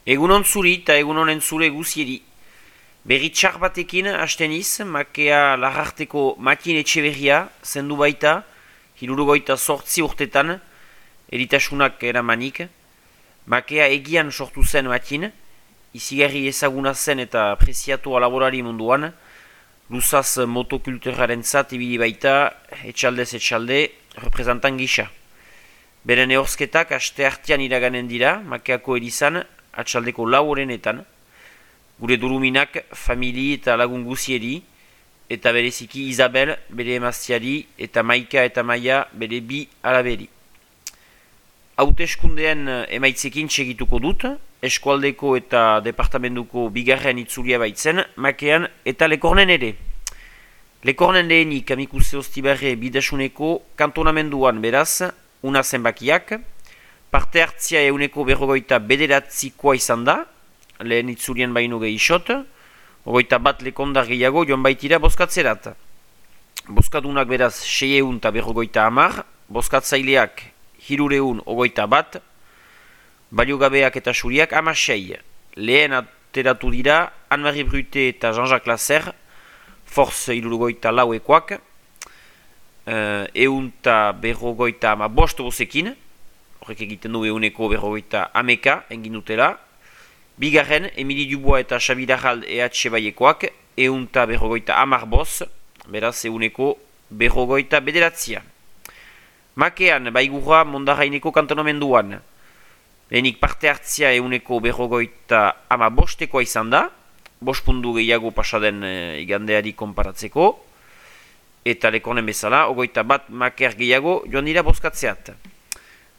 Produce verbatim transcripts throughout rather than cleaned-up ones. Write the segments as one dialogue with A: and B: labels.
A: Egunon zuri eta egunon entzule guzieri. Berri txar batekin hasten iz, makea lagarteko makin etxeberria zendu baita, hirurogoita sortzi urtetan, eritasunak eramanik. Makea egian sortu zen makin, izigarri ezaguna zen eta preziatua laborari munduan, luzaz motokulturaren zat ibili baita, etxaldez etxalde, representan gisa. Beren ehorzketak aste artean iraganen dira, makeako erizan, atxaldeko lau horrenetan, gure duruminak, famili eta lagun guzieri, eta bereziki Isabel, bere emaztiari, eta Maika eta Maia, bere bi alaberi. Hauteskundeen emaitzekin txegituko dut, eskualdeko eta departamentuko bigarren itzulia baitzen, makean eta lekornen ere. Lekornen lehenik amikuse Ostibarre bidasuneko kantonamenduan beraz, una zenbakiak, parte hartzia euneko berrogoita bederatzikoa izan da, lehen itzulien baino gehixot, ogoita bat lekondar gehiago joan baitira bozkatzerat. Bozkadunak beraz seieun eta berrogoita hamar, bozkatzaileak hirureun ogoita bat, baliogabeak eta suriak amasei. Lehen ateratu dira Anne-Marie Brute eta Jean-Jacques Lasser, force hirurogoita lauekoak, eun eta berrogoita ama bost bozekin, horrek egiten du euneko berrogeita ameka engin dutela. Bigarren, Emili Dubois eta Xabi Darrald E H baiekoak, eunta berrogeita amar boz, beraz euneko berrogeita bederatzia. Makean, baigurra Mondarraineko kantonamenduan, lehenik parte hartzia euneko berrogeita ama bostekoa izan da, bost pundu gehiago pasaden e, igandeari konparatzeko, eta lekonen bezala, ogoita bat maker gehiago joan dira bozkatzeat.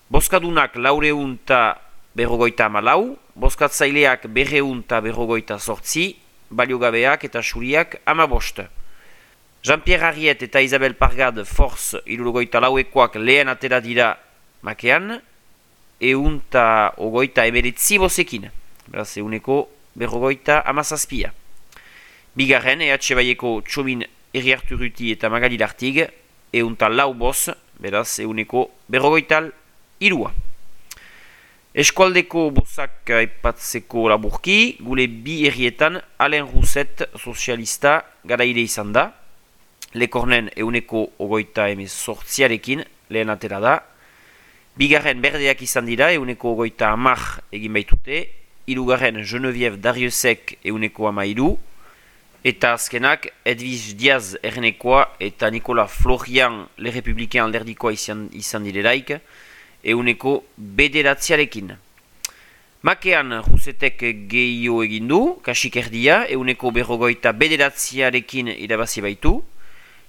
A: Bozkadunak laureun eta berrogoita amalau, bozkatzaileak berreun eta berrogoita sortzi, baliogabeak eta suriak amabost. Jean-Pierre Arriet eta Isabel Pargad force hirurogoita lauekoak lehen atera dira makean, eun eta ogoita emeretzi bozekin, beraz euneko berrogoita amazazpia. Bigarren, E H baieko Txomin Herriarturuti eta Magali Lartig, eun eta lau boz, beraz euneko berrogoita irua. Eskualdeko bozak aipatzeko laburki, gure bi herrietan Alain Rousset sozialista garaile izan da, lekornen euneko ogoita emezortziarekin lehen atera da, bigarren berdeak izan dira euneko ogoita amar egin baitute, hirugarren Geneviève Dariusek euneko amairu, eta azkenak Edwige Diaz errenekoa eta Nicolas Florian Le Republicain alderdikoa izan, izan direlaik, euneko bederatziarekin. Makean Roussetek gehio egindu, kasik erdia, euneko berrogoita bederatziarekin irabazi baitu.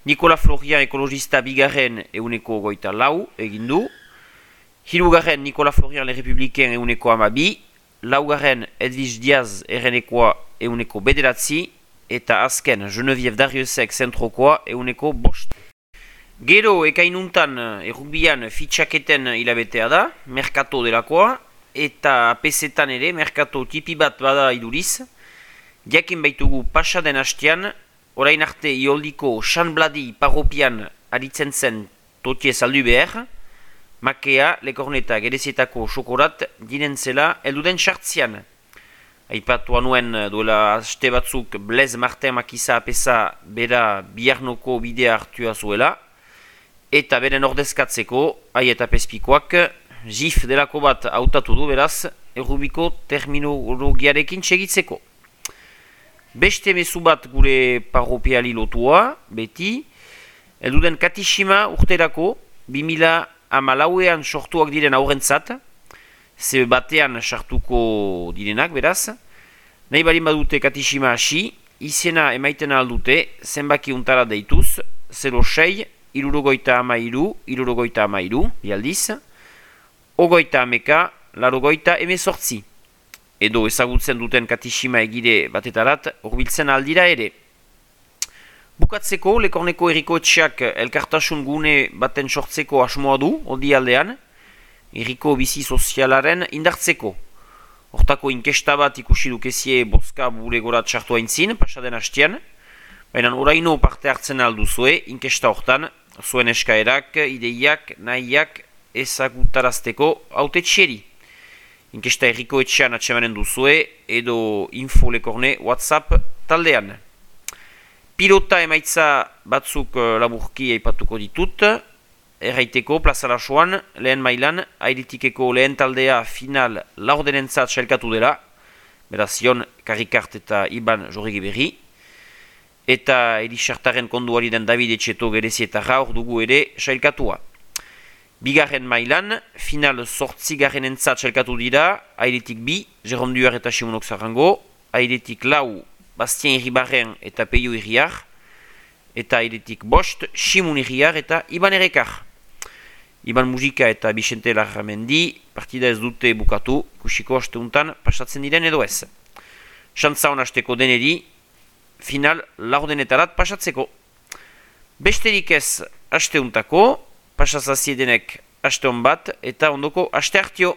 A: Nicolas Florian ekologista bigarren euneko goita lau egindu. Hirugarren Nicolas Florian Le Republicain euneko amabi. Laugarren Edwige Diaz errenekoa euneko bederatzi. Eta azken Geneviève Dariusek zentrokoa euneko bost. Gero ekainuntan errugbian fitxaketen hilabetea da, merkato delakoa, eta pesetan ere merkato tipi bat bada iduriz. Jakin baitugu pasaden hastean, orain arte ioldiko Sanbladi parropian aritzen zen totie saldu behar, makea lekorneta gerezietako xokorat dinen zela elduden sartzian. Aipatu nuen duela haste batzuk Blaise Martin Makiza apesa bera biharnoko bidea hartua zuela, eta beren ordezkatzeko, ai eta pespikoak, jif delako bat hautatu du beraz, errubiko terminologiarekin txegitzeko. Beste mezu bat gure parropiali lotua, beti, elduden katishima urterako, bimila amalauean sortuak diren aurrentzat, ze batean sartuko direnak beraz, nahi balin badute katishima hasi, izena emaiten aldute, zenbaki untara deituz, zero sei, irurogoita amairu, irurogoita amairu, bialdiz, ogoita ameka, larogoita emezortzi. Edo ezagutzen duten katishima egide batetarat, horbiltzen aldira ere. Bukatzeko, lekorneko erriko etxeak elkartasun gune baten sortzeko asmoa du, odi aldean, erriko bizi sozialaren indartzeko. Hortako inkesta bat ikusi dukezie bozka bulegorat sartu haintzin, pasaden hastian, baina oraino parte hartzen alduzue, inkesta hortan, zuen eskaerak, ideiak, nahiak ezagutarazteko hautetxeri. Inkesta erriko etxean atsemanen duzue edo info lekorne WhatsApp taldean. Pilota emaitza batzuk laburki aipatuko ditut. Erraiteko plaza lasoan, lehen mailan, airetikeko lehen taldea final laurdenentzat sailkatu dela, beraz Jon Karikart eta Iban Jorrigi Berri, eta Elisartaren konduari den David Etxeto Gerezietara hor dugu ere sailkatua. Bigarren mailan, final sortzigarren entzat sailkatu dira, airetik bi, Jerome Duar eta Simonok Zarango, airetik lau, Bastien Iribarren eta Peio Iriar, eta airetik bost, Simon Iriar eta Iban Erekar. Iban Mujika eta Bixente Larramendi, partida ez dute bukatu, ikusiko asteuntan pasatzen diren edo ez. Xantza honasteko deneri, final laurdenetarat pasatzeko. Besterik ez asteuntako, pasazaziedenek aste hon bat eta ondoko aste hartio.